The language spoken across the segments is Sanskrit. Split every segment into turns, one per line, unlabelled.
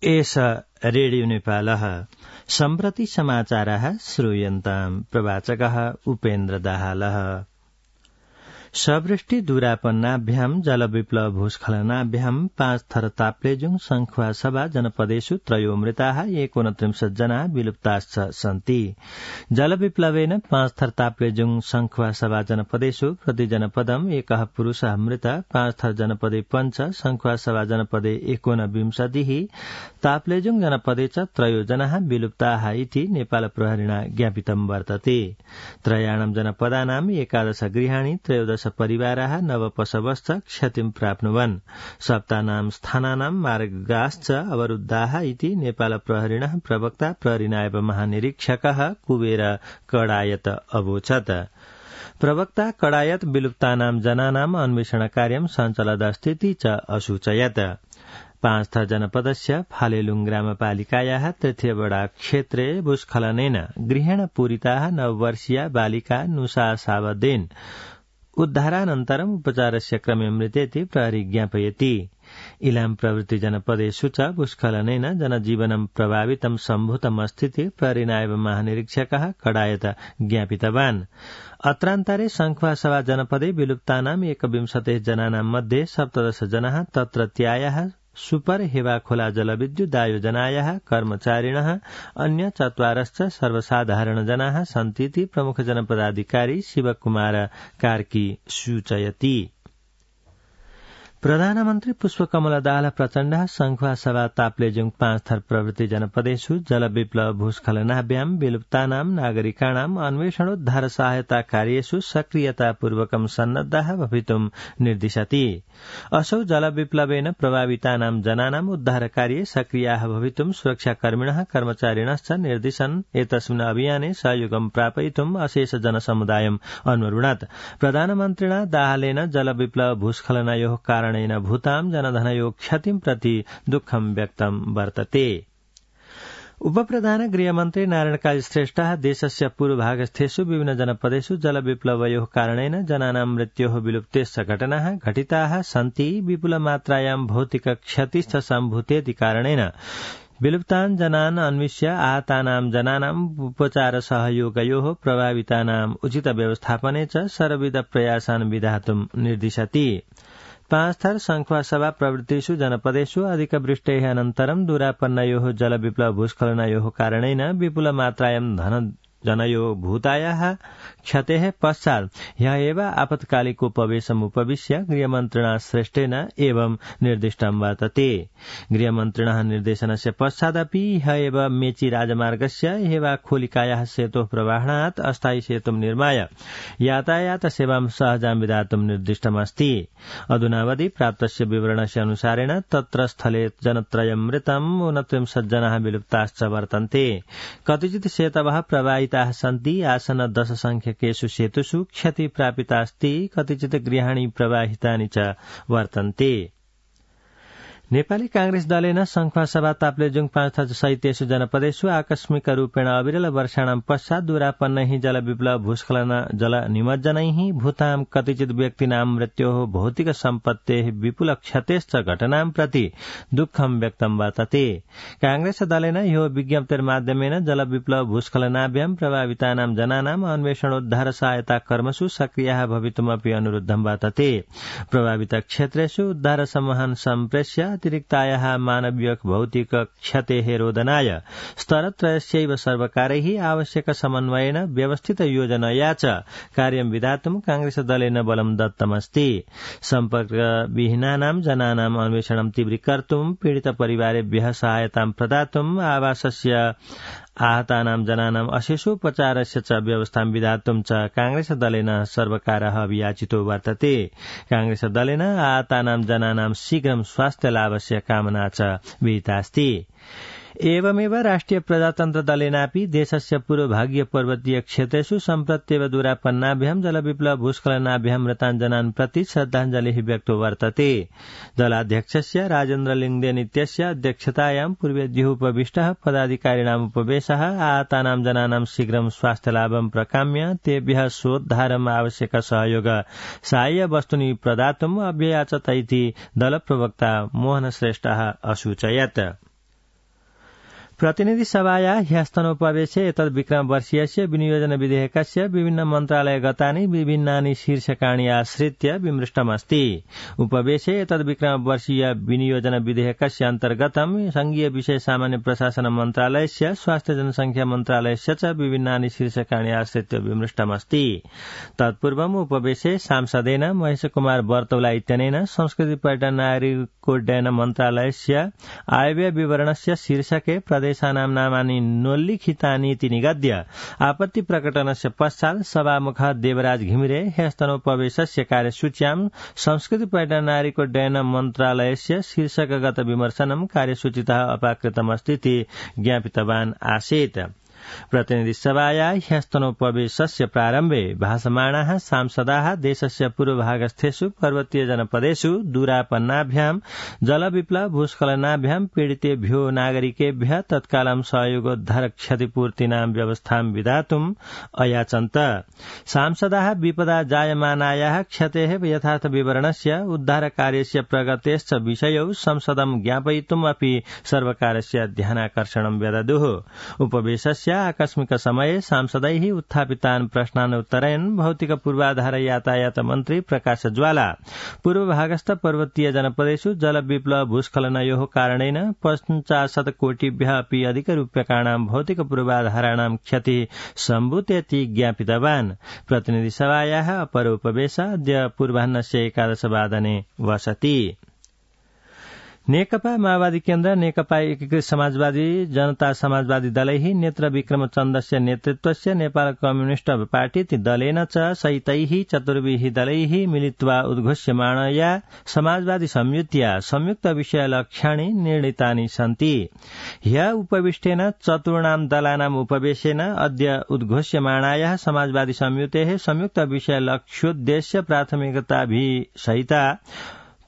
एष रेडियो नेपालः सम्प्रति समाचारः श्रूयन्ताम् प्रवाचकः उपेन्द्र दाहालः। सवृष्टि दूरापन्नाभ्याम् जलविप्लव भूस्खलनाभ्याम् 5 थर ताप्लेजुङ संखुवा सभा जनपदेषु त्रयो मृताः 29 जनाः विलुप्ताश्च सन्ति। जलविप्लवेन 5 थर ताप्लेजुङ संखुवा सभा जनपदेषु प्रति जनपदम् 1 पुरुषः मृत 5 थर जनपदे पञ्च संखुवा सभा जनपदे 29 ताप्लेजुङ जनपदे च त्रयो जनाः विलुप्ताः इति नेपाल प्रहरिणा ज्ञापितं वर्तते। त्रयाणां जनपदानां 11 गृहाणि 13 परिवाराः नवपशवश्च क्षतिं प्राप्नुवन्। सप्तानां स्थानानां मार्गाश्च अवरुद्धाः इति नेपाल प्रहरिणः प्रवक्ता प्रहरी नायब महानिरीक्षकः कुबेर कडायत अवोचत्। प्रवक्ता कडायत विलुप्तानां जनानां अन्वेषण कार्यं सञ्चलदस्तीति च असूचयत्। 5 थर जनपदस्य फालेलुङ ग्रामपालिकायाः तृतीयवडा क्षेत्रे भूस्खलनेन गृहेण पूरिताः 9 वर्षीया बालिका नुसा सावदेन उद्धारानन्तरम् उपचारस्य क्रमे मृतेति प्रहरी ज्ञापयति। इलाम प्रभृति जनपदेषु च भूस्खलनेन जनजीवनं प्रभावितं सम्भूतमस्तीति प्रहरी नायब महानिरीक्षकः कडायत ज्ञापितवान्। अत्रान्तरे संखुवा सभा जनपदे विलुप्तानां 21 जनानां मध्ये 17 जनाः तत्रत्यायाः सुपर हेवाखोला जलविद्युदायोजनायाः कर्मचारिणः अन्य 4 सर्वसाधारण जनाः सन्तीति प्रमुख जनपदाधिकारी शिवकुमार कार्की सूचयति। प्रधानमन्त्री पुष्पकमल दाहाल प्रचण्डः संखुवा सभा ताप्लेजुङ 5 थर प्रभृति जनपदेषु जलविप्लव भूस्खलनाभ्याम् विलुप्तानां नागरिकाणां अन्वेषणोद्धार सहायता कार्येषु सक्रियतापूर्वकं सन्नद्धाः भवितुं निर्दिशति। असौ जलविप्लवेन प्रभावितानां जनानां उद्धारकार्ये सक्रियाः भवितुं सुरक्षाकर्मिणः कर्मचारिणश्च निर्दिशन् एतस्मिन् अभियाने सहयोगं प्रापयितुम् अशेष जनसमुदायम् अन्वरुणत्। प्रधानमन्त्रिणा दाहालेन जलविप्लव भूस्खलनयोः कारणेन भूतां जनधनयोः क्षतिं प्रति दुःखं व्यक्तं वर्तते। उपप्रधान गृहमन्त्री नारायण काजी श्रेष्ठः देशस्य पूर्वभागस्थेषु विभिन्न जनपदेषु जलविप्लवयोः कारणेन जनानां मृत्योः विलुप्तेश्च घटनाः घटिताः सन्ति। विपुलमात्रायां भौतिक क्षतिश्च सम्भूतेति कारणेन विलुप्तान् जनान् अन्विष्य आहतानां जनानाम् उपचार सहयोगयोः प्रभावितानाम् उचित व्यवस्थापने च सर्वविध प्रयासान् विधातुं निर्दिशति। 5 थर संखुवा सभा प्रभृतिषु जनपदेषु अधिकवृष्टेः अनन्तरं दूरापन्नयोः जलविप्लव भूस्खलनयोः कारणेन विपुलमात्रायां जनयो भूतायाः क्षतेः पश्चात् ह्यः एव आपत्कालिकोपवेशमुपविश्य गृहमन्त्रिणा श्रेष्ठेन एवं निर्दिष्टं वर्तते। गृहमन्त्रिणः निर्देशनस्य पश्चादपि ह्यः एव मेची राजमार्गस्य हेवाखोलिकायाः सेतोः प्रवाहनात् अस्थायी सेतुं निर्माय यातायात सेवां सहजां विधातुं निर्दिष्टमस्ति। अधुनावधि प्राप्तस्य विवरणस्य अनुसारेण तत्र स्थले जनत्रयं मृतं 29 जनाः विलुप्ताश्च वर्तन्ते। कतिचित् सेतवः प्रवाहिताः सन्ति। आसन 10 संख्यकेषु सेतुषु क्षति प्रापितास्ति। कतिचित् गृहाणि प्रवाहितानि च वर्तन्ते। नेपाली कांग्रेस दलेन संखुवा सभा ताप्लेजुङ 5 थर सहितेषु जनपदेषु आकस्मिक रूपेण अविरल वर्षाणां पश्चात् दूरापन्नैः जलविप्लव भूस्खलन जल निमज्जनैः भूतां कतिचित् व्यक्तीनां मृत्योः भौतिक सम्पत्तेः विपुल क्षतेश्च घटनां प्रति दुःखं व्यक्तं वर्तते। कांग्रेस दलेन ह्यो विज्ञप्तिर्माध्यमेन जलविप्लव भूस्खलनाभ्यां प्रभावितानां जनानाम् अन्वेषणोद्धार सहायता कर्मसु सक्रियाः भवितुमपि अनुरोधं वर्तते। प्रभावित क्षेत्रेषु उद्धार समूहान् सम्प्रेष्य अतिरिक्तायाः मानवीय भौतिक क्षतेः रोधनाय स्तरत्रयस्यैव सर्वकारैः आवश्यक समन्वयेन व्यवस्थित योजनया च कार्यं विधातुं कांग्रेस दलेन बलं दत्तमस्ति। सम्पर्कविहीनानां जनानाम् अन्वेषणं तीव्रीकर्तुं पीडित परिवारेभ्यः सहायतां प्रदातुम् आवासस्य आहतानां जनानाम् अशेषोपचारस्य च व्यवस्थां विधातुं च कांग्रेस दलेन सर्वकारः अभियाचितो वर्तते। कांग्रेस दलेन आहतानां जनानां शीघ्रं स्वास्थ्य लाभस्य कामना च विहितास्ति। एवमेव राष्ट्रिय प्रजातन्त्र दलेनापि देशस्य पूर्वभागीय पर्वतीय क्षेत्रेषु सम्प्रत्येव दूरापन्नाभ्यां जलविप्लव भूस्खलनाभ्यां मृतान् जनान् प्रति श्रद्धाञ्जलिः व्यक्तो वर्तते। दलाध्यक्षस्य राजेन्द्र लिङ्गदेन इत्यस्य अध्यक्षतायां पूर्वेद्युः उपविष्टः पदाधिकारिणाम् उपवेशः आहतानां जनानां शीघ्रं स्वास्थ्यलाभं प्रकाम्य तेभ्यः सोद्धारम् आवश्यक सहयोग साहाय्य वस्तूनि प्रदातुम् अभ्ययाचत इति दलप्रवक्ता मोहन श्रेष्ठः असूचयत्। प्रतिनिधि सभाया ह्यस्तनोपवेशे एतद् विक्रमवर्षीयस्य विनियोजन विधेयकस्य विभिन्न मन्त्रालयगतानि विभिन्नानि शीर्षकाणि आश्रित्य विमृष्टमस्ति। उपवेशे एतद् विक्रमवर्षीय विनियोजन विधेयकस्य अन्तर्गतं संघीय विषय सामान्य प्रशासन मन्त्रालयस्य स्वास्थ्य जनसंख्या मन्त्रालयस्य च विभिन्नानि शीर्षकाणि आश्रित्य विमृष्टमस्ति। तत्पूर्वम् उपवेशे सांसदेन महेश कुमार बर्तौला इत्यनेन संस्कृति पर्यटन नागरिकोड्डयन मन्त्रालयस्य आयव्यय विवरणस्य शीर्षके प्रदेशानां नामानि नोल्लिखितानीति निगद्य आपत्ति प्रकटनस्य पश्चात् सभामुखः देवराज घिमिरे ह्यस्तनोपवेशस्य कार्यसूच्यां संस्कृति पर्यटन नागरिकोड्डयन मन्त्रालयस्य शीर्षकगत विमर्शनं कार्यसूचितः अपाकृतमस्तीति ज्ञापितवान् आसीत्। प्रतिनिधि सभाया ह्यस्तनोपवेशस्य प्रारम्भे भाषमाणाः सांसदाः देशस्य पूर्वभागस्थेषु पर्वतीय जनपदेषु दूरापन्नाभ्यां जलविप्लव भूस्खलनाभ्यां पीडितेभ्यो नागरिकेभ्यः तत्कालं सहयोगोद्धार क्षतिपूर्तीनां व्यवस्थां विधातुम् अयाचन्त। सांसदाः विपदा जायमानायाः क्षतेः यथार्थ विवरणस्य उद्धारकार्यस्य प्रगतेश्च विषयौ संसदं ज्ञापयितुम् अपि सर्वकारस्य ध्यानाकर्षणं व्यददुः। उपवेशस्य आकस्मिक समये सांसदैः उत्थापितान् प्रश्नान् उत्तरयन् भौतिक पूर्वाधार यातायात मन्त्री प्रकाश ज्वाला पूर्वभागस्थ पर्वतीय जनपदेषु जलविप्लव भूस्खलनयोः कारणेन 50 कोटिभ्यः अपि अधिकरूप्यकाणां भौतिक पूर्वाधाराणां क्षतिः सम्भूतेति ज्ञापितवान्। प्रतिनिधि सभायाः अपर उपवेश अद्य पूर्वाह्नस्य 11 वादने वसति। नेकपा माओवादी केन्द्र नेकपा एकीकृत समाजवादी जनता समाजवादी दलैः नेत्र विक्रमचन्द्रस्य नेतृत्वस्य नेपाल कम्युनिस्ट पार्टी दलेन च सहितैः चतुर्भिः दलैः मिलित्वा उद्घोष्यमाणया समाजवादी संयुत्या संयुक्त विषय लक्ष्याणि निर्णीतानि सन्ति। ह्य उपविष्टेन चतुर्णां दलानाम् उपवेशेन अद्य उद्घोष्यमाणायाः समाजवादी संयुतेः संयुक्त विषय लक्ष्योद्देश्य प्राथमिकताभिः सहिता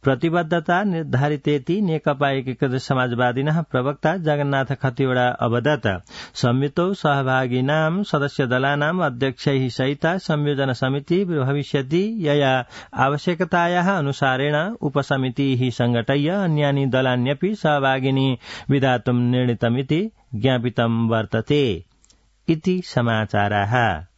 प्रतिबद्धता निर्धारितेति नेकपा एकीकृत समाजवादिनः प्रवक्ता जगन्नाथ खतिवड़ा अवदत्। संयुतौ सहभागिनां सदस्य दलानाम् अध्यक्षैः सहिता संयोजन समिति भविष्यति यया आवश्यकतायाः अनुसारेण उपसमितिः संघटय्य अन्यानि दलान्यपि सहभागिनी विधातुं निर्णीतमिति ज्ञापितं वर्तते। इति समाचाराः।